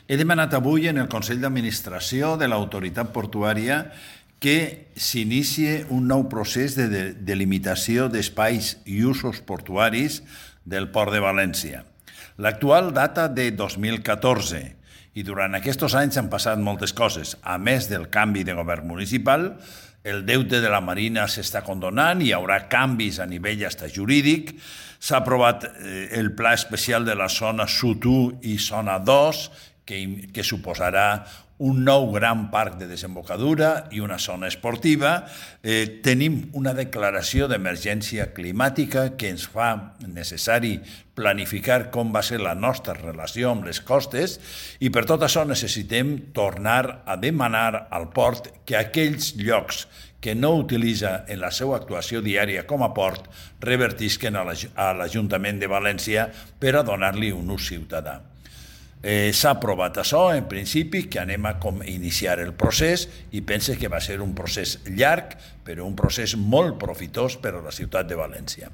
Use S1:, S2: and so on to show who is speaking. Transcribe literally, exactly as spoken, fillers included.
S1: He demanat avui en el Consell d'Administració de l'Autoritat Portuària que s'inicie un nou procés de delimitació d'espais i usos portuaris del Port de València. L'actual data de dos mil catorze i durant aquests anys han passat moltes coses. A més del canvi de govern municipal, el deute de la Marina s'està condonant, hi haurà canvis a nivell hasta jurídic, s'ha aprovat el pla especial de la zona sud u i zona dos, que, que suposarà un nou gran parc de desembocadura i una zona esportiva. Eh, tenim una declaració d'emergència climàtica que ens fa necessari planificar com va ser la nostra relació amb les costes i per tot això necessitem tornar a demanar al port que aquells llocs que no utilitza en la seva actuació diària com a port revertisquen a l'Ajuntament de València per a donar-li un ús ciutadà. Eh, S'ha aprovat això, en principi, que anem a com iniciar el procés i pense que va ser un procés llarg, però un procés molt profitós per a la ciutat de València.